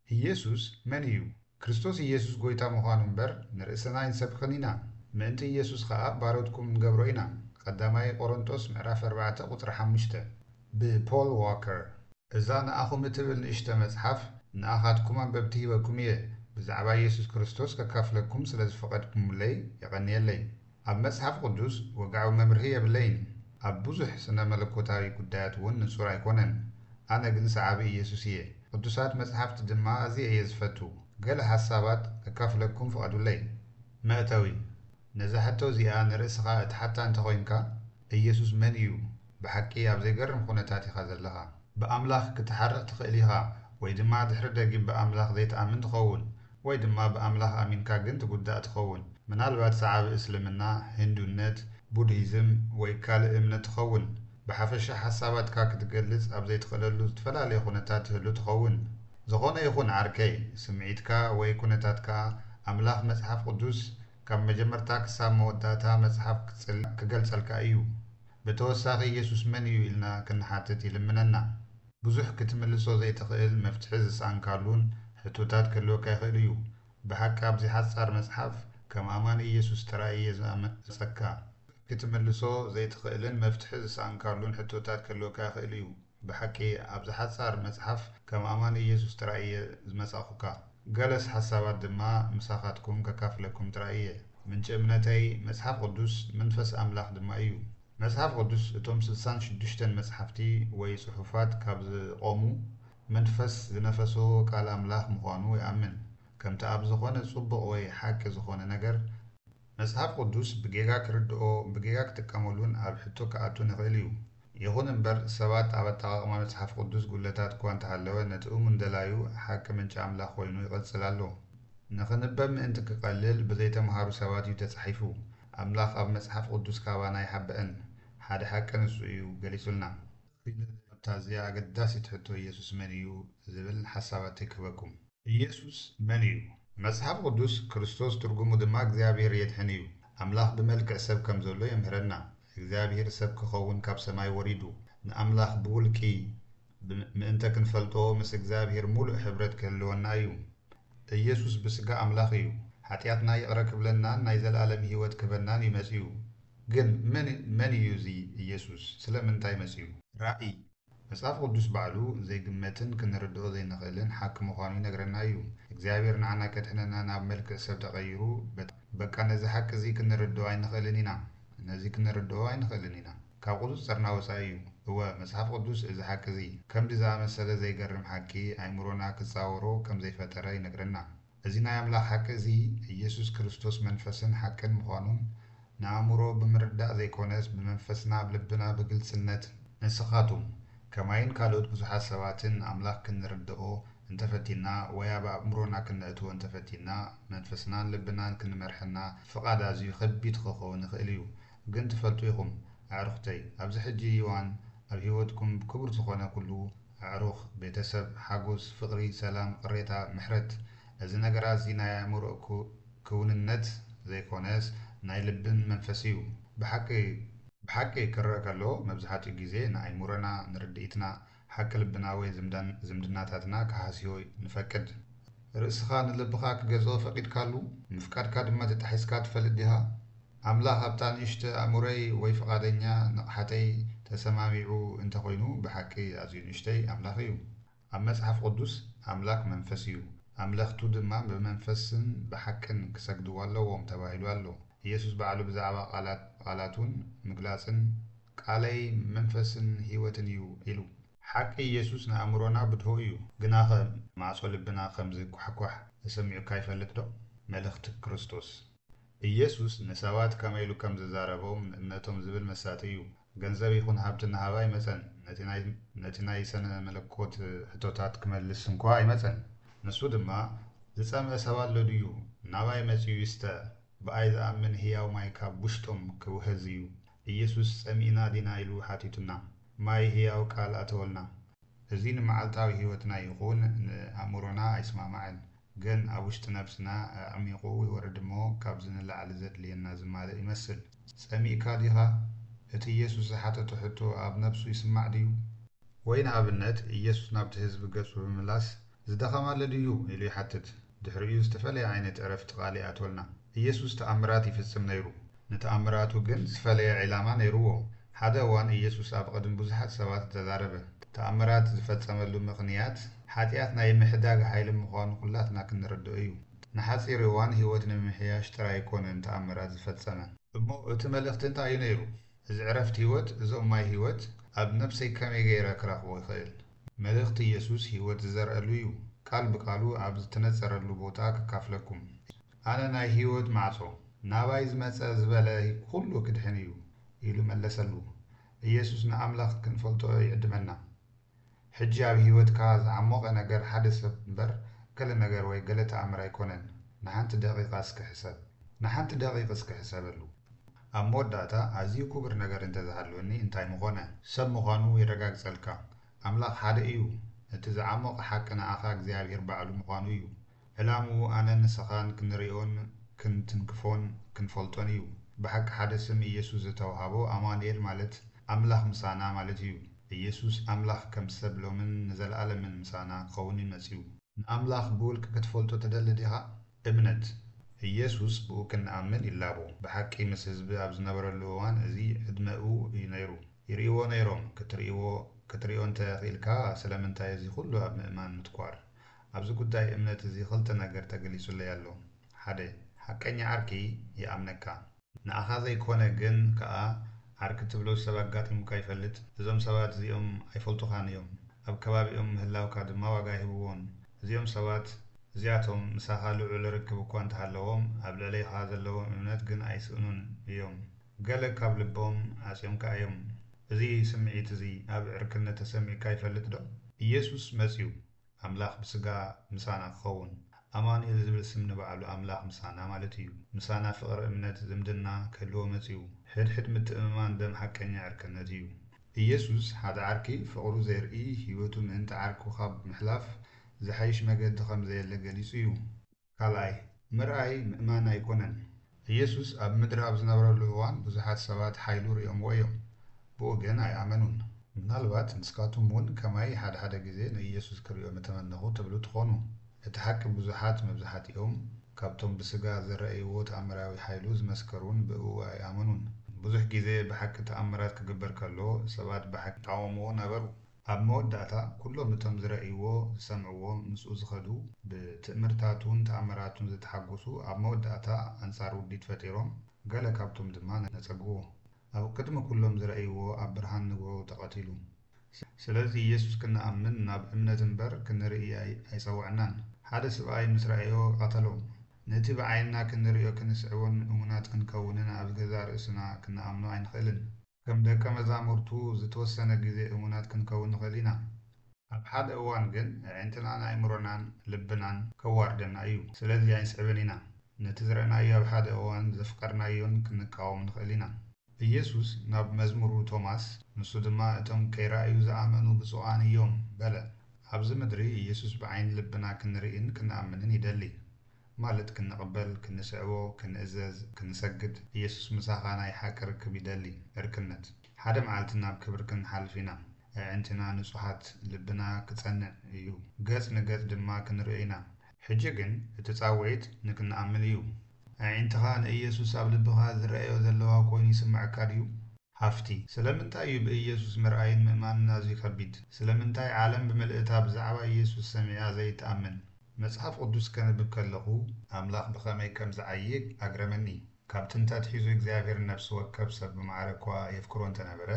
ኢየሱስ መን እዩ? ክርስቶስ ኢየሱስ ጐይታ ምዃኑ እምበር ንርእስና ኣይንሰብኽን ኢና። ምእንቲ ኢየሱስ ኸኣ ባሮትኩም ንገብሮ ኢና። ቀዳማይ ቆሮንጦስ ምዕራፍ ኣርባዕተ ቁጽሪ ሓሙሽተ። ብፖል ዋከር። እዛ ንኣኹም እትብል ንእሽቶ መጽሓፍ ንኣኻትኩም ኣንበብቲ ሂበኩም እየ። ብዛዕባ ኢየሱስ ክርስቶስ ከካፍለኩም ስለ ዝፈቐድኩምለይ የቐንየለይ። ኣብ መጽሓፍ ቅዱስ ወግዓዊ መምርሂ የብለይን። ኣብ ብዙሕ ስነ መለኮታዊ ጉዳያት እውን ንጹር ኣይኮነን። ኣነ ግን ሰዓቢ ኢየሱስ እየ። ቅዱሳት መጽሓፍቲ ድማ ኣዝየ እየ ዝፈቱ። ገለ ሓሳባት ከካፍለኩም ፍቐዱለይ። መእተዊ። ነዛ ሕቶ እዚኣ ንርእስኻ እትሓታ እንተ ኾይንካ፣ ኢየሱስ መን እዩ ብሓቂ ኣብ ዘይገርም ኩነታት ኢኻ ዘለኻ? ብኣምላኽ ክትሓርቕ ትኽእል ኢኻ፣ ወይ ድማ ድሕሪ ደጊም ብኣምላኽ ዘይትኣምን ትኸውን፣ ወይ ድማ ብኣምላኽ ኣሚንካ ግን ትጉዳእ ትኸውን። ምናልባት ሰዓቢ እስልምና፣ ህንዱነት፣ ቡድሂዝም፣ ወይ ካልእ እምነት ትኸውን። ብሓፈሻ ሓሳባትካ ክትገልጽ ኣብ ዘይትኽእለሉ ዝተፈላለየ ኩነታት ትህሉ ትኸውን። ዝኾነ ይኹን ዓርከይ፣ ስምዒትካ ወይ ኩነታትካ ኣምላኽ መጽሓፍ ቅዱስ ካብ መጀመርታ ክሳብ መወዳእታ መጽሓፍ ክጽል-፣ ክገልጸልካ እዩ። ብተወሳኺ ኢየሱስ መን እዩ ኢልና ክንሓትት ይልምነና። ብዙሕ ክትምልሶ ዘይትኽእል መፍትሒ ዝሰኣንካሉን ሕቶታት ክህልወካ ይኽእል እዩ። ብሓቂ ኣብዚ ሓጻር መጽሓፍ ከም ኣማኒ ኢየሱስ ጥራይ እየ ዝኣመጸካ። ክትምልሶ ዘይትኽእልን መፍትሒ ዝሰኣንካሉን ሕቶታት ክህልወካ ይኽእል እዩ። ብሓቂ ኣብዚ ሓጻር መጽሓፍ ከም ኣማኒ ኢየሱስ ጥራይ እየ ዝመጻኹካ። ገለስ ሓሳባት ድማ ምሳኻትኩም ከካፍለኩም ጥራይ እየ። ምንጪ እምነተይ መጽሓፍ ቅዱስ መንፈስ ኣምላኽ ድማ እዩ። መጽሓፍ ቅዱስ እቶም ስልሳን ሽዱሽተን መጽሓፍቲ ወይ ጽሑፋት ካብ ዝቖሙ መንፈስ ዝነፈሶ ቃል ኣምላኽ ምዃኑ ይኣምን። ከምቲ ኣብ ዝኾነ ጽቡቕ ወይ ሓቂ ዝኾነ ነገር መጽሓፍ ቅዱስ ብጌጋ ክርድኦ፣ ብጌጋ ክጥቀመሉን ኣብ ሕቶ ክኣቱን ይኽእል እዩ። ይኹን እምበር ሰባት ኣብ ኣጠቓቕማ መጽሓፍ ቅዱስ ጉድለታት እኳ እንተሃለወ ነቲ እሙን ደላዩ ሓቂ ምንጪ ኣምላኽ ኮይኑ ይቕጽል ኣሎ። ንኽንበብ ምእንቲ ክቐልል ብዘይተምሃሩ ሰባት እዩ ተጻሒፉ። ኣምላኽ ኣብ መጽሓፍ ቅዱስ ካባና ኣይሓበአን። ሓደ ሓቂ ንሱ እዩ ገሊጹልና። ኣብታ እዚኣ ኣገዳሲት ሕቶ ኢየሱስ መን እዩ ዝብል ሓሳባት ይክበኩም። ኢየሱስ መን እዩ? መጽሓፍ ቅዱስ ክርስቶስ ትርጉሙ ድማ እግዚኣብሔር የድሕን እዩ። ኣምላኽ ብመልክዕ ሰብ ከም ዘሎ የምህረና። እግዚኣብሔር ሰብ ክኸውን ካብ ሰማይ ወሪዱ ንኣምላኽ ብውልቂ ብ-፣ ምእንተ ክንፈልጦ ምስ እግዚኣብሔር ምሉእ ሕብረት ክህልወና እዩ። ኢየሱስ ብስጋ ኣምላኽ እዩ። ሓጢኣትና ይቕረ ክብለናን ናይ ዘለኣለም ህይወት ክህበናን እዩ መጺኡ። ግን መን፣ መን እዩ እዚ ኢየሱስ? ስለምንታይ መጺኡ? ራእይ። መጽሓፍ ቅዱስ ባዕሉ ዘይግመትን ክንርድኦ ዘይንኽእልን ሓቂ ምዃኑ ይነግረና እዩ። እግዚኣብሔር ንዓና ከድሕነና ናብ መልክዕ ሰብ ተቐይሩ፣ በ-፣ በቃ ነዚ ሓቂ እዚ ክንርድኦ ኣይንኽእልን ኢና። ነዚ ክንርድኦ ኣይንኽእልን ኢና። ካብ ቁጽጽርና ወጻኢ እዩ። እወ፣ መጽሓፍ ቅዱስ እዚ ሓቂ እዚ፣ ከምዚ ዝኣመሰለ ዘይገርም ሓቂ፣ ኣእምሮና ክጻወሮ ከም ዘይፈጠረ ይነግረና። እዚ ናይ ኣምላኽ ሓቂ እዚ፣ ኢየሱስ ክርስቶስ መንፈስን ሓቅን ምዃኑን ንኣእምሮ ብምርዳእ ዘይኮነስ፣ ብመንፈስና ኣብ ልብና ብግልጽነት። ንስኻቱም ከማይን ካልኦት ብዙሓት ሰባትን ንኣምላኽ ክንርድኦ እንተፈቲና ወይ ኣብ ኣእምሮና ክነእትዎ እንተፈቲና፣ መንፈስናን ልብናን ክንመርሐና ፍቓድ ኣዝዩ ከቢድ ክኸውን ይኽእል እዩ። ግን ትፈልጡ ኢኹም ኣዕሩኽተይ፣ ኣብዚ ሕጂ እዋን ኣብ ህይወትኩም ክቡር ዝኾነ ኩሉ፣ ኣዕሩኽ፣ ቤተሰብ፣ ሓጎስ፣ ፍቕሪ፣ ሰላም፣ ቅሬታ፣ ምሕረት፣ እዚ ነገራት እዚ ናይ ኣእምሮ ክውንነት ዘይኮነስ ናይ ልብን መንፈስ እዩ። ብሓቂ ብሓቂ ክረአ ከሎ መብዛሕትኡ ግዜ ንኣእምሮና ንርድኢትና ሓቂ ልብና ወይ ዝምድናታትና ክሃስዮ ንፈቅድ። ርእስኻ ንልብኻ ክገዝኦ ፈቒድካሉ? ምፍቃድካ ድማ ተጣሒስካ ትፈልጥ ዲኻ? ኣምላኽ ኣብታ ንእሽቶ ኣእምሮይ ወይ ፍቓደኛ ንቕሓተይ ተሰማሚዑ እንተኾይኑ ብሓቂ ኣዝዩ ንእሽተይ ኣምላኽ እዩ። ኣብ መጽሓፍ ቅዱስ ኣምላኽ መንፈስ እዩ፣ ኣምለኽቱ ድማ ብመንፈስን ብሓቅን ክሰግድዎ ኣለዎም ተባሂሉ ኣሎ። ኢየሱስ ባዕሉ ብዛዕባ ቃላት ቃላቱን ምግላጽን ቃለይ መንፈስን ህይወትን እዩ ኢሉ። ሓቂ ኢየሱስ ንኣእምሮና ብድሆ እዩ፣ ግናኸ ማዕጾ ልብና ከም ዝኳሕኳሕ ተሰሚዑካ ይፈልጥ ዶ? መልእኽቲ ክርስቶስ። ኢየሱስ ንሰባት ከመይ ኢሉ ከም ዝዛረቦም ንእምነቶም ዝብል መሳጢ እዩ። ገንዘብ ይኹን ሃብቲ ንሃብ ኣይመጸን፣ ነቲ ናይ፣ ነቲ ናይ ሰነ መለኮት ሕቶታት ክመልስ እንኳ ኣይመጸን። ንሱ ድማ፣ ዝጸምአ ሰብ ኣሎ ድዩ? ናባይ መጺኡ ይስተ፣ ብኣይ ዝኣምን ህያው ማይ ካብ ውሽጦም ክውህዝ እዩ። ኢየሱስ ጸሚእና ዲና ኢሉ ሓቲቱና። ማይ ህያው ቃል ኣተወልና። እዚ ንመዓልታዊ ህይወትና ይኹን ንኣእምሮና ኣይስማማዕን፣ ግን ኣብ ውሽጢ ነብስና ኣዕሚቑ ይወርድ እሞ ካብዚ ንላዕሊ ዘድልየና ዝማልእ ይመስል። ጸሚእካ ዲኻ? እቲ ኢየሱስ ዝሓተቶ ሕቶ ኣብ ነብሱ ይስማዕ ድዩ? ወይ ንኣብነት ኢየሱስ ናብቲ ህዝቢ ገጹ ብምምላስ "ዝደኸመ ኣሎ ድዩ?" ኢሉ ይሓትት። ድሕሪኡ ዝተፈለየ ዓይነት ዕረፍቲ ቃል ይኣትወልና። ኢየሱስ ተኣምራት ይፍጽም ነይሩ። ንተኣምራቱ ግን ዝፈለየ ዕላማ ነይርዎ። ሓደ እዋን ኢየሱስ ኣብ ቅድሚ ብዙሓት ሰባት ተዛረበ። ተኣምራት ዝፈጸመሉ ምኽንያት ሓጢኣት ናይ ምሕዳግ ሓይሊ ምዃኑ ኩላትና ክንርድኦ እዩ። ንሓጺር እዋን ህይወት ንምምሕያሽ ጥራይ ኣይኮነን ተኣምራት ዝፈጸመ። እሞ እቲ መልእኽቲ እንታይ እዩ ነይሩ? እዚ ዕረፍቲ ህይወት፣ እዚ ማይ ህይወት ኣብ ነብሰይ ከመይ ገይረ ክረኽቦ ይኽእል? መልእኽቲ ኢየሱስ ህይወት ዝዘርኣሉ እዩ። ቃል ብቃሉ ኣብ ዝተነጸረሉ ቦታ ክካፍለኩም። "ኣነ ናይ ህይወት ማዕጾ፣ ናባይ ዝመጸ ዝበለ ኩሉ ክድሕን እዩ" ኢሉ መለሰሉ። ኢየሱስ ንኣምላኽ ክንፈልጦ ይዕድመና። ሕጂ ኣብ ህይወትካ ዝዓሞቐ ነገር ሓደ ሰብ እምበር ገለ ነገር ወይ ገለ ተኣምር ኣይኮነን። ንሓንቲ ደቂቓ እስኪ ሕሰብ። ንሓንቲ ደቂቕ እስኪ ሕሰበሉ። ኣብ መወዳእታ ኣዝዩ ክቡር ነገር እንተዝሃልወኒ እንታይ ምኾነ? ሰብ ምዃኑ የረጋግጸልካ። ኣምላኽ ሓደ እዩ። እቲ ዝዓሞቐ ሓቂ ንኣኻ እግዚኣብሔር ባዕሉ ምዃኑ እዩ። ዕላምኡ ኣነን ንስኻን ክንርእዮን ክንትንክፎን ክንፈልጦን እዩ። ብሓቂ ሓደ ስም ኢየሱስ ዝተውሃቦ ኣማኑኤል ማለት ኣምላኽ ምሳና ማለት እዩ። ኢየሱስ ኣምላኽ ከም ሰብ ሎምን ንዘለኣለምን ምሳና ክኸውን እዩ መጺኡ። ንኣምላኽ ብውልቂ ክትፈልጦ ትደሊ ዲኻ? እምነት። ኢየሱስ ብኡ ክንኣምን ይላቦ። ብሓቂ ምስ ህዝቢ ኣብ ዝነበረሉ እዋን እዚ ዕድመኡ እዩ ነይሩ። ይርእይዎ ነይሮም። ክትርእይዎ፣ ክትርእዮ እንተ ኽኢልካ ስለምንታይ እዚ ኹሉ ኣብ ምእማን ምትኳር? ኣብዚ ጉዳይ እምነት እዚ ኽልተ ነገር ተገሊጹለይ ኣሎ። ሓደ፣ ሓቀኛ ዓርኪ ይኣምነካ። ንኣኻ ዘይኮነ ግን ከኣ ዓርኪ ትብሎ ሰብ ኣጋጢሙካ ይፈልጥ? እዞም ሰባት እዚኦም ኣይፈልጡኻን እዮም። ኣብ ከባቢኦም ምህላውካ ድማ ዋጋ ኣይህብዎን። እዚኦም ሰባት እዚኣቶም ምሳኻ ልዑል ርክብ እኳ እንተሃለዎም፣ ኣብ ልዕሌኻ ዘለዎም እምነት ግን ኣይስእኑን እዮም። ገለ ካብ ልቦም ዓጽዮምካ እዮም። እዚ ስምዒት እዚ ኣብ ዕርክነት ተሰሚዑካ ይፈልጥ ዶ? ኢየሱስ መጺኡ፣ ኣምላኽ ብስጋ ምሳና ክኸውን። ኣማኑኤል ዝብል ስም ንባዕሉ ኣምላኽ ምሳና ማለት እዩ። ምሳና ፍቕሪ፣ እምነት፣ ዝምድና ክህልዎ መጺኡ። ሕድሕድ ምትእምማን ደም ሓቀኛ ዕርክነት እዩ። ኢየሱስ ሓደ ዓርኪ ፍቕሩ ዘርኢ፣ ህይወቱ ምእንቲ ዓርኩ ካብ ምሕላፍ ዝሓይሽ መገዲ ከም ዘየለ ገሊጹ እዩ። ካልኣይ፣ ምርኣይ ምእማን ኣይኮነን። ኢየሱስ ኣብ ምድሪ ኣብ ዝነበረሉ እዋን ብዙሓት ሰባት ሓይሉ ርእዮምዎ እዮም፣ ብኡ ግን ኣይኣመኑን። ምናልባት ንስኻትኩም እውን ከማይ ሓደ ሓደ ግዜ ንኢየሱስ ክርእዮ ምተመነኹ ትብሉ ትኾኑ። እቲ ሓቂ ብዙሓት መብዛሕትኦም ካብቶም ብስጋ ዝረኣይዎ ተኣምራዊ ሓይሉ ዝመስከሩን ብእኡ ኣይኣመኑን። ብዙሕ ግዜ ብሓቂ ተኣምራት ክግበር ከሎ ሰባት ብሓቂ ይቃወምዎ ነበሩ። ኣብ መወዳእታ ኩሎም እቶም ዝረኣይዎ፣ ዝሰምዕዎ፣ ምስኡ ዝኸዱ፣ ብትእምርታቱን ተኣምራቱን ዝተሓጎሱ ኣብ መወዳእታ ኣንጻር ውዲት ፈጢሮም፣ ገለ ካብቶም ድማ ነጸግዎ። ኣብ ቅድሚ ኩሎም ዝረኣይዎ ኣብ ብርሃን ንግሆ ተቐቲሉ። ስለዚ ኢየሱስ ክንኣምን ናብ እምነት እምበር ክንርኢ ኣይ-፣ ኣይጸውዐናን። ሓደ ስብኣይ ምስ ረኣዮ ቀተሎ። ነቲ ብዓይንና ክንርእዮ ክንስዕቦን እሙናት ክንከውንን ኣብ ገዛእ ርእስና ክንኣምኖ ኣይንኽእልን። ከም ደቀ መዛሙርቱ ዝተወሰነ ግዜ እሙናት ክንከውን ንኽእል ኢና። ኣብ ሓደ እዋን ግን ኣዒንትናን ኣእምሮናን ልብናን ከዋርደና እዩ። ስለዚ ኣይንስዕብን ኢና። ነቲ ዝረኣናዮ ኣብ ሓደ እዋን ዘፍቀርናዮን ክንቃወም ንኽእል ኢና። ኢየሱስ ናብ መዝሙሩ ቶማስ፣ ንሱ ድማ እቶም ከይረኣዩ ዝኣመኑ ብፁዓን እዮም በለ። ኣብዚ ምድሪ ኢየሱስ ብዓይኒ ልብና ክንርእን ክንኣምንን ይደሊ። ማለት ክንቕበል፣ ክንስዕቦ፣ ክንእዘዝ፣ ክንሰግድ። ኢየሱስ ምሳኻ ናይ ሓቂ ርክብ ይደሊ። ዕርክነት። ሓደ መዓልቲ ናብ ክብሪ ክንሓልፍ ኢና። ኣዒንትና ንጹሃት፣ ልብና ክጸንዕ እዩ። ገጽ ንገጽ ድማ ክንርእዮ ኢና። ሕጂ ግን እቲ ጻውዒት ንክንኣምን እዩ። ኣዒንትኻ ንኢየሱስ ኣብ ልብኻ ዝረኣዮ ዘለዋ ኮይኑ ይስምዓካ ድዩ? ሃፍቲ። ስለምንታይ እዩ ብኢየሱስ ምርኣይን ምእማንን ኣዝዩ ከቢድ? ስለምንታይ ዓለም ብምልእታ ብዛዕባ ኢየሱስ ሰሚዓ ዘይትኣምን? መጽሓፍ ቅዱስ ከንብብ ከለኹ፣ ኣምላኽ ብኸመይ ከም ዝዓዪ ኣግረመኒ። ካብ ጥንቲ ኣትሒዙ እግዚኣብሔር ነፍሲ ወከፍ ሰብ ብማዕረ እኳ የፍቅሮ እንተነበረ፣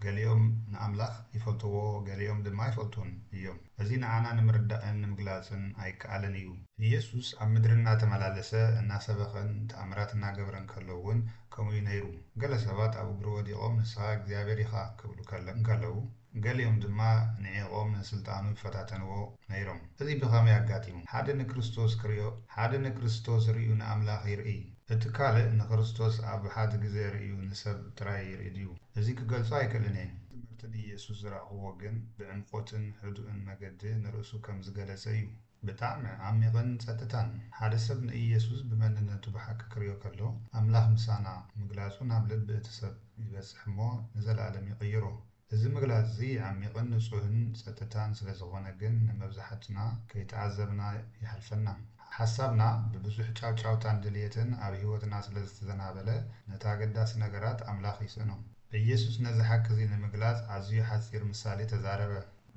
ገሊኦም ንኣምላኽ ይፈልጥዎ፣ ገሊኦም ድማ ኣይፈልጡን እዮም። እዚ ንዓና ንምርዳእን ንምግላጽን ኣይከኣልን እዩ። ኢየሱስ ኣብ ምድሪ እናተመላለሰ፣ እናሰበኸን ተኣምራት እናገበረን ከሎ እውን ከምኡ እዩ ነይሩ። ገለ ሰባት ኣብ እግሩ ወዲቖም፣ "ንስኻ እግዚኣብሔር ኢኻ" ክብሉ ከለ-፣ እንከለዉ፣ ገሊኦም ድማ ንዒቖም ንስልጣኑ ይፈታተንዎ ነይሮም። እዚ ብኸመይ ኣጋጢሙ? ሓደ ንክርስቶስ ክርእዮ፣ ሓደ ንክርስቶስ ርእዩ ንኣምላኽ ይርኢ። እቲ ካልእ ንክርስቶስ ኣብ ሓደ ግዜ ርእዩ ንሰብ ጥራይ ይርኢ ድዩ? እዚ ክገልጾ ኣይክእልን እየ። ትምህርቲ ንኢየሱስ ዝረኣኽዎ ግን ብዕምቆትን ህዱእን መገዲ ንርእሱ ከም ዝገለጸ እዩ። ብጣዕሚ ዓሚቕን ጸጥታን። ሓደ ሰብ ንኢየሱስ ብመንነቱ ብሓቂ ክርእዮ ከሎ፣ ኣምላኽ ምሳና ምግላጹ ናብ ልቢ እቲ ሰብ ይበጽሕ እሞ ንዘለኣለም ይቕይሮ። እዚ ምግላጽ እዚ ዓሚቕን ንጹህን ጸጥታን ስለ ዝኾነ ግን ንመብዛሕትና ከይተዓዘብና ይሓልፈና። ሓሳብና ብብዙሕ ጫውጫውታን ድልየትን ኣብ ህይወትና ስለ ዝተዘናበለ ነቲ ኣገዳሲ ነገራት ኣምላኽ ይስእኖ። ኢየሱስ ነዚ ሓቂ እዚ ንምግላጽ ኣዝዩ ሓጺር ምሳሌ ተዛረበ።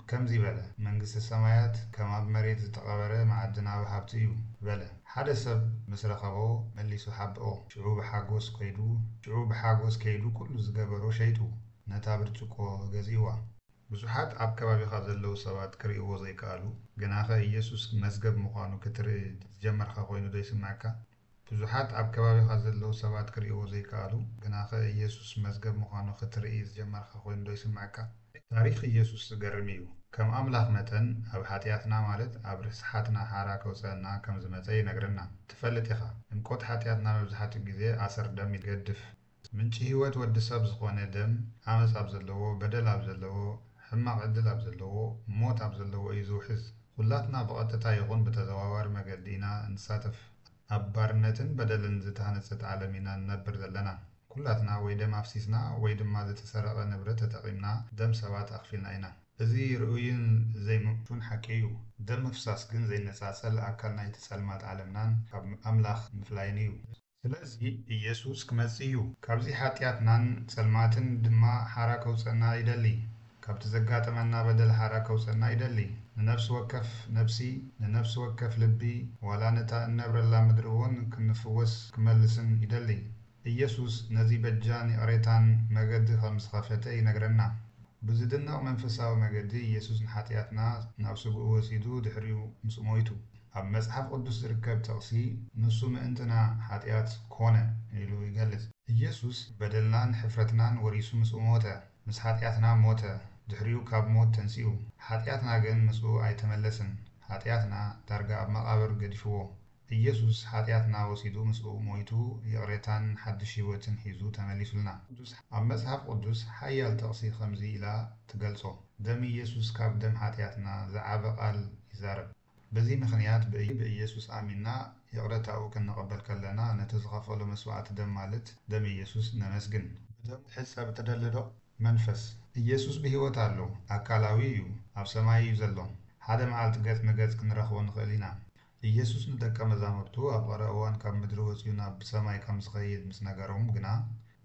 ከምዚ በለ፣ መንግስቲ ሰማያት ከም ኣብ መሬት ዝተቐበረ መዓድናዊ ሃብቲ እዩ በለ። ሓደ ሰብ ምስ ረኸቦ መሊሱ ሓብኦ። ሽዑ ብሓጎስ ከይዱ ሽዑ ብሓጎስ ከይዱ ኩሉ ዝገበሮ ሸይጡ ነታ ብርጭቆ ገዚእዋ። ብዙሓት ኣብ ከባቢኻ ዘለዉ ሰባት ክርእይዎ ዘይከኣሉ፣ ግናኸ ኢየሱስ መዝገብ ምዃኑ ክትርኢ ዝጀመርካ ኮይኑ ዶ ይስምዓካ? ብዙሓት ኣብ ከባቢኻ ዘለዉ ሰባት ክርእይዎ ዘይከኣሉ፣ ግናኸ ኢየሱስ መዝገብ ምዃኑ ክትርኢ ዝጀመርካ ኮይኑ ዶ ይስምዓካ? ታሪኽ ኢየሱስ ዝገርም እዩ። ከም ኣምላኽ መጠን ኣብ ሓጢኣትና ማለት ኣብ ርስሓትና ሓራ ከውፀአና ከም ዝመፀ ይነግረና። ትፈልጥ ኢኻ፣ ዕምቆት ሓጢኣትና መብዛሕትኡ ግዜ ኣሰር ደም ይገድፍ። ምንጪ ህይወት ወዲ ሰብ ዝኾነ ደም ዓመፅ ኣብ ዘለዎ፣ በደል ኣብ ዘለዎ፣ ሕማቕ ዕድል ኣብ ዘለዎ፣ ሞት ኣብ ዘለዎ እዩ ዝውሕዝ። ኩላትና ብቐጥታ ይኹን ብተዘዋዋሪ መገዲ ኢና እንሳተፍ። ኣብ ባርነትን በደልን ዝተሃነጸት ዓለም ኢና ንነብር ዘለና። ኩላትና ወይ ደም ኣፍሲስና ወይ ድማ ዝተሰረቐ ንብረት ተጠቒምና ደም ሰባት ኣኽፊልና ኢና። እዚ ርኡይን ዘይምቹን ሓቂ እዩ። ደም ምፍሳስ ግን ዘይነጻጸል ኣካል ናይቲ ጸልማት ዓለምናን ካብ ኣምላኽ ምፍላይን እዩ። ስለዚ ኢየሱስ ክመጽእ እዩ። ካብዚ ሓጢኣትናን ጸልማትን ድማ ሓራ ከውጸና ይደሊ። ካብቲ ዘጋጠመና በደል ሓራ ከውጸና ይደሊ። ንነፍሲ ወከፍ ነብሲ፣ ንነፍሲ ወከፍ ልቢ፣ ዋላ ነታ እነብረላ ምድሪ እውን ክንፍወስ ክመልስን ይደሊ። ኢየሱስ ነዚ በጃን ይቕሬታን መገዲ ከም ዝኸፈተ ይነግረና። ብዝድነቕ መንፈሳዊ መገዲ ኢየሱስ ንሓጢኣትና ናብ ስግኡ ወሲዱ ድሕሪኡ ምስ ሞይቱ። ኣብ መጽሓፍ ቅዱስ ዝርከብ ጥቕሲ ንሱ ምእንትና ሓጢኣት ኮነ ኢሉ ይገልጽ። ኢየሱስ በደልናን ሕፍረትናን ወሪሱ ምስኡ ሞተ። ምስ ሓጢኣትና ሞተ። ድሕሪኡ ካብ ሞት ተንሲኡ። ሓጢኣትና ግን ምስኡ ኣይተመለስን። ሓጢኣትና ዳርጋ ኣብ መቓብር ገዲፍዎ። ኢየሱስ ሓጢኣትና ወሲዱ ምስኡ ሞይቱ ይቕሬታን ሓድሽ ህይወትን ሒዙ ተመሊሱልና። ቅዱስ ኣብ መጽሓፍ ቅዱስ ሓያል ጥቕሲ ከምዚ ኢላ ትገልጾ፣ ደም ኢየሱስ ካብ ደም ሓጢኣትና ዝዓበ ቃል ይዛረብ። በዚ ምኽንያት ብእይ ብኢየሱስ ኣሚንና ይቕረታኡ ክንቕበል ከለና ነቲ ዝኸፈሎ መስዋዕቲ ደም ማለት ደም ኢየሱስ ነመስግን። ብደሙ ሕጸብ ትደሊ ዶ? መንፈስ ኢየሱስ ብህይወት ኣሎ፣ ኣካላዊ እዩ፣ ኣብ ሰማይ እዩ ዘሎ። ሓደ መዓልቲ ገጽ ንገጽ ክንረኽቦ ንኽእል ኢና። ኢየሱስ ንደቀ መዛሙርቱ ኣብ ቐረባ እዋን ካብ ምድሪ ወጺኡ ናብ ሰማይ ከም ዝኸይድ ምስ ነገሮም ግና፣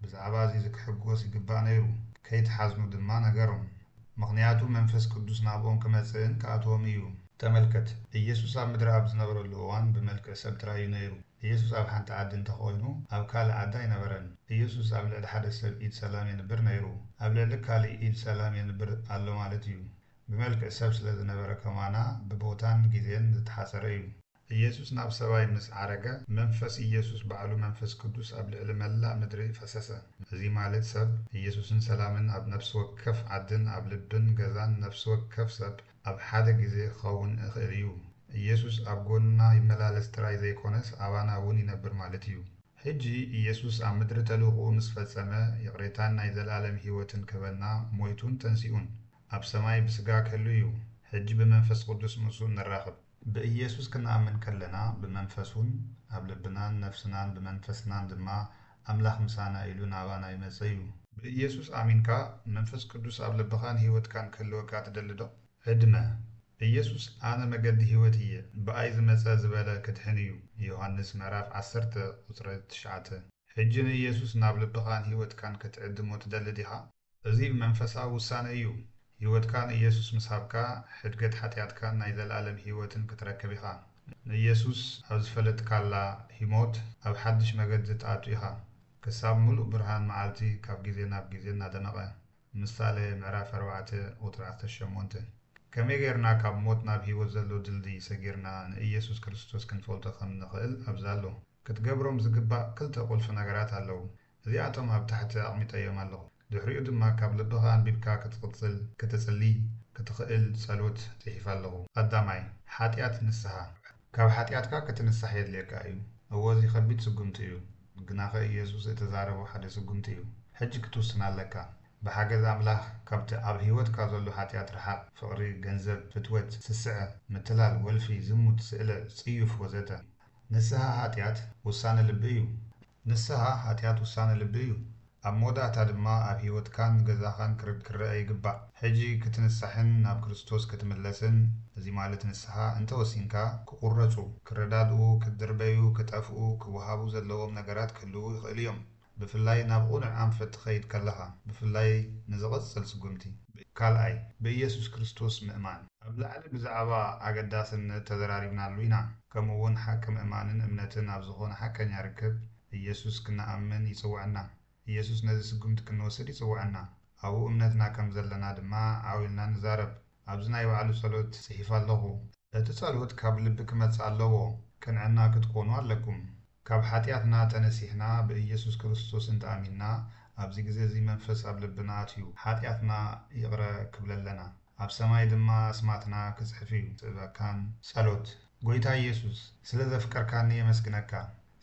ብዛዕባ እዚ ክሕጎስ ይግባእ ነይሩ፣ ከይትሓዝኑ ድማ ነገሮም። ምኽንያቱ መንፈስ ቅዱስ ናብኦም ክመጽእን ክኣትዎም እዩ። ተመልከት፣ ኢየሱስ ኣብ ምድሪ ኣብ ዝነበረሉ እዋን ብመልክዕ ሰብ ጥራይ እዩ ነይሩ። ኢየሱስ ኣብ ሓንቲ ዓዲ እንተኾይኑ፣ ኣብ ካልእ ዓዲ ኣይነበረን። ኢየሱስ ኣብ ልዕሊ ሓደ ሰብ ኢድ ሰላም የንብር ነይሩ። ኣብ ልዕሊ ካልእ ኢድ ሰላም የንብር ኣሎ ማለት እዩ። ብመልክዕ ሰብ ስለ ዝነበረ ከማና ብቦታን ግዜን ዝተሓጸረ እዩ። ኢየሱስ ናብ ሰማይ ምስ ዓረገ፣ መንፈስ ኢየሱስ ባዕሉ መንፈስ ቅዱስ ኣብ ልዕሊ መላእ ምድሪ ፈሰሰ። እዚ ማለት ሰብ ኢየሱስን ሰላምን ኣብ ነፍሲ ወከፍ ዓድን ኣብ ልብን ገዛን ነፍሲ ወከፍ ሰብ ኣብ ሓደ ግዜ ክኸውን ይኽእል እዩ። ኢየሱስ ኣብ ጎንና ይመላለስ ጥራይ ዘይኮነስ ኣባና እውን ይነብር ማለት እዩ። ሕጂ ኢየሱስ ኣብ ምድሪ ተልእኾኡ ምስ ፈጸመ፣ ይቕሬታን ናይ ዘለኣለም ህይወትን ክህበና ሞይቱን ተንሲኡን ኣብ ሰማይ ብስጋ ክህሉ እዩ። ሕጂ ብመንፈስ ቅዱስ ምስኡ ንራኸብ። ብኢየሱስ ክንኣምን ከለና ብመንፈሱን ኣብ ልብናን ነፍስናን ብመንፈስናን ድማ ኣምላኽ ምሳና ኢሉ ናባና ይመጽእ እዩ። ብኢየሱስ ኣሚንካ መንፈስ ቅዱስ ኣብ ልብኻን ህይወትካን ክህልወካ ትደሊ ዶ? ዕድመ ኢየሱስ ኣነ መገዲ ህይወት እየ፣ ብኣይ ዝመጸ ዝበለ ክድሕን እዩ። ዮሃንስ ምዕራፍ ዓሰርተ ቁጽሪ ትሽዓተ። ሕጂ ንኢየሱስ ናብ ልብኻን ህይወትካን ክትዕድሞ ትደሊ ዲኻ? እዚ መንፈሳዊ ውሳነ እዩ። ህይወትካ ንኢየሱስ ምስ ሃብካ፣ ሕድገት ሓጢኣትካን ናይ ዘለኣለም ህይወትን ክትረክብ ኢኻ። ንኢየሱስ ኣብ ዝፈለጥካላ ህሞት ኣብ ሓድሽ መገዲ ትኣቱ ኢኻ። ክሳብ ምሉእ ብርሃን መዓልቲ ካብ ግዜ ናብ ግዜ እናደመቐ። ምሳሌ ምዕራፍ ኣርባዕተ ቁጽሪ ዓሰርተ ሸሞንተ። ከመይ ጌርና ካብ ሞት ናብ ህይወት ዘሎ ድልድይ ሰጊርና ንኢየሱስ ክርስቶስ ክንፈልጦ ከም ንኽእል ኣብዚ ኣሎ። ክትገብሮም ዝግባእ ክልተ ቁልፊ ነገራት ኣለዉ። እዚኣቶም ኣብ ታሕቲ ኣቕሚጠዮም ኣለኹ። ድሕሪኡ ድማ ካብ ልብኻ ኣንቢብካ ክትቕጽል፣ ክትጽሊ፣ ክትኽእል ጸሎት ጽሒፈ ኣለኹ። ቀዳማይ፣ ሓጢኣት ንስሓ። ካብ ሓጢኣትካ ክትንሳሕ የድልየካ እዩ። እወ፣ እዚ ከቢድ ስጉምቲ እዩ። ግናኸ ኢየሱስ እተዛረቦ ሓደ ስጉምቲ እዩ። ሕጂ ክትውስን ኣለካ። ብሓገዝ ኣምላኽ ካብቲ ኣብ ህይወትካ ዘሎ ሓጢኣት ርሓቕ። ፍቕሪ፣ ገንዘብ፣ ፍትወት፣ ስስዐ፣ ምትላል፣ ወልፊ፣ ዝሙት፣ ስእለ፣ ጽዩፍ ወዘተ። ንስሓ ሓጢኣት ውሳነ ልቢ እዩ። ንስሓ ሓጢኣት ውሳነ ልቢ እዩ። ኣብ መወዳእታ ድማ ኣብ ህይወትካን ገዛኻን ክርድ ክረአ ይግባእ። ሕጂ ክትንሳሕን ናብ ክርስቶስ ክትምለስን፣ እዚ ማለት ንስሓ እንተወሲንካ፣ ክቑረጹ፣ ክረዳድኡ፣ ክድርበዩ፣ ክጠፍኡ፣ ክወሃቡ ዘለዎም ነገራት ክህልዉ ይኽእሉ እዮም። ብፍላይ ናብ ቕኑዕ ኣንፈት ትኸይድ ከለኻ፣ ብፍላይ ንዝቕጽል ስጉምቲ። ካልኣይ፣ ብኢየሱስ ክርስቶስ ምእማን። ኣብ ላዕሊ ብዛዕባ ኣገዳስነት ተዘራሪብናሉ ኢና። ከምኡ እውን ሓቂ ምእማንን እምነትን ኣብ ዝኾነ ሓቀኛ ርክብ ኢየሱስ ክንኣምን ይጽውዐና። ኢየሱስ ነዚ ስጉምቲ ክንወስድ ይጽውዐና። ኣብኡ እምነትና ከም ዘለና ድማ ዓው ኢልና ንዛረብ። ኣብዚ ናይ ባዕሉ ጸሎት ጽሒፈ ኣለኹ። እቲ ጸሎት ካብ ልቢ ክመጽእ ኣለዎ። ቅንዕና ክትኮኑ ኣለኩም። ካብ ሓጢኣትና ተነሲሕና ብኢየሱስ ክርስቶስ እንተኣሚንና፣ ኣብዚ ግዜ እዚ መንፈስ ኣብ ልብና ኣትዩ ሓጢኣትና ይቕረ ክብለለና፣ ኣብ ሰማይ ድማ ኣስማትና ክጽሕፍ እዩ። ጽበካን ጸሎት። ጎይታ ኢየሱስ፣ ስለ ዘፍቀርካኒ የመስግነካ።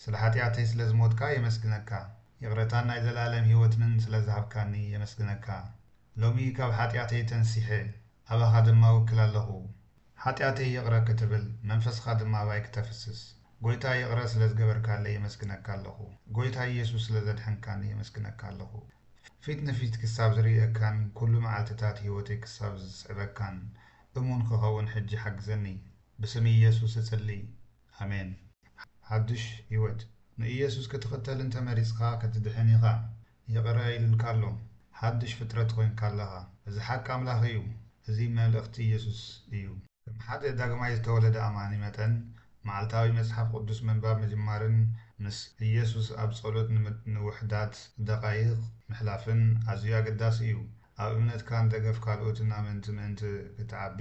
ስለ ሓጢኣተይ ስለ ዝሞትካ የመስግነካ። ይቕረታን ናይ ዘለኣለም ህይወትንን ስለ ዝሃብካኒ የመስግነካ። ሎሚ ካብ ሓጢኣተይ ተንሲሐ፣ ኣባኻ ድማ ውክል ኣለኹ። ሓጢኣተይ ይቕረ ክትብል፣ መንፈስኻ ድማ ኣባይ ክተፍስስ። ጎይታ ይቕረ ስለ ዝገበርካለይ የመስግነካ ኣለኹ። ጎይታ ኢየሱስ ስለ ዘድሐንካኒ የመስግነካ ኣለኹ። ፊት ንፊት ክሳብ ዝርእየካን ኩሉ መዓልትታት ህይወተይ ክሳብ ዝስዕበካን እሙን ክኸውን ሕጂ ሓግዘኒ። ብስም ኢየሱስ እጽሊ። ኣሜን። ሓድሽ ህይወት። ንኢየሱስ ክትኽተል እንተ መሪጽካ ክትድሕን ኢኻ። ይቕረ ኢሉልካ ኣሎ። ሓድሽ ፍጥረት ኮይንካ ኣለኻ። እዚ ሓቂ ኣምላኽ እዩ። እዚ መልእኽቲ ኢየሱስ እዩ። ከም ሓደ ዳግማይ ዝተወለደ ኣማኒ መጠን፣ መዓልታዊ መጽሓፍ ቅዱስ ምንባብ ምጅማርን ምስ ኢየሱስ ኣብ ጸሎት ንምት ንውሑዳት ደቓይቕ ምሕላፍን ኣዝዩ ኣገዳሲ እዩ። ኣብ እምነትካን ደገፍ ካልኦትን ኣመንቲ ምእንቲ ክትዓቢ፣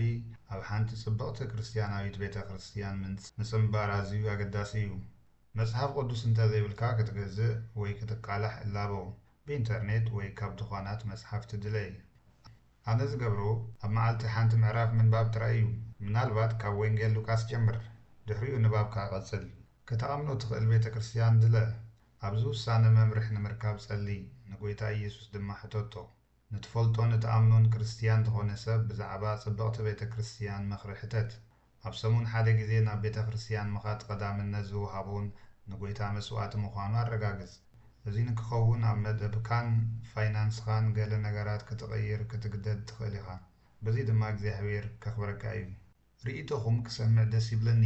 ኣብ ሓንቲ ጽብቕቲ ክርስትያናዊት ቤተ ክርስትያን ምንጽ ምጽንባር ኣዝዩ ኣገዳሲ እዩ። መጽሓፍ ቅዱስ እንተ ዘይብልካ ክትገዝእ ወይ ክትቃላሕ እላቦ፣ ብኢንተርኔት ወይ ካብ ድኳናት መጽሓፍቲ ድለይ። ኣነ ዝገብሮ ኣብ መዓልቲ ሓንቲ ምዕራፍ ምንባብ ጥራይ እዩ። ምናልባት ካብ ወንጌል ሉቃስ ጀምር፣ ድሕሪኡ ንባብካ ቀጽል። ከተኣምኖ ትኽእል ቤተ ክርስትያን ድለ። ኣብዚ ውሳነ መምርሒ ንምርካብ ጸሊ፣ ንጎይታ ኢየሱስ ድማ ሕተቶ። ንትፈልጦን እትኣምኖን ክርስትያን ዝኾነ ሰብ ብዛዕባ ጽብቕቲ ቤተ ክርስትያን ምኽሪ ሕተት። ኣብ ሰሙን ሓደ ግዜ ናብ ቤተ ክርስትያን ምኻድ ቀዳምነት ዝወሃቦን ንጎይታ መስዋእቲ ምዃኑ ኣረጋግጽ። እዚ ንክኸውን ኣብ መደብካን ፋይናንስኻን ገለ ነገራት ክትቕይር ክትግደድ ትኽእል ኢኻ። በዚ ድማ እግዚኣብሔር ከኽብረካ እዩ። ርእይቶኹም ክሰምዕ ደስ ይብለኒ።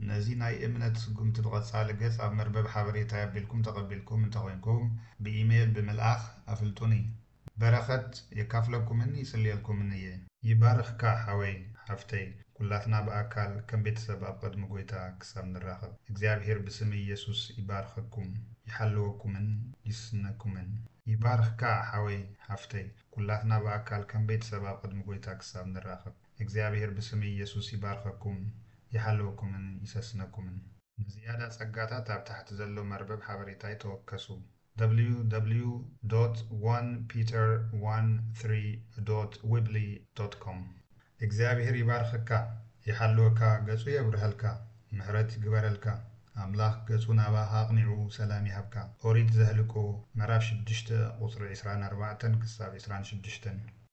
ነዚ ናይ እምነት ስጉምቲ ብቐጻሊ ገጽ ኣብ መርበብ ሓበሬታይ ኣቢልኩም ተቐቢልኩም እንተኾይንኩም፣ ብኢሜይል ብምልኣኽ ኣፍልጡኒ። በረኸት የካፍለኩምን ይጽልየልኩምን እየ። ይባርኽካ ሓወይ ሓፍተይ፣ ኩላትና ብኣካል ከም ቤተሰብ ኣብ ቅድሚ ጎይታ ክሳብ ንራኸብ እግዚኣብሔር ብስም ኢየሱስ ይባርኸኩም፣ ይሓልወኩምን ይስነኩምን። ይባርኽካ ሓወይ ሓፍተይ፣ ኩላትና ብኣካል ከም ቤተሰብ ኣብ ቅድሚ ጎይታ ክሳብ ንራኸብ እግዚኣብሔር ብስም ኢየሱስ ይባርኸኩም፣ ይሓልወኩምን ይሰስነኩምን። ንዝያዳ ጸጋታት ኣብ ታሕቲ ዘሎ መርበብ ሓበሬታይ ተወከሱ። www.onepeter13.weebly.com። እግዚኣብሔር ይባርኸካ፣ ይሓልወካ፣ ገጹ የብርሀልካ፣ ምሕረት ይግበረልካ። ኣምላኽ ገጹ ናባኻ ኣቕኒዑ ሰላም ይሃብካ። ኦሪት ዘህልቆ ምዕራፍ ሽዱሽተ ቁጽሪ ዕስራን ኣርባዕተን ክሳብ ዕስራን ሽዱሽተን።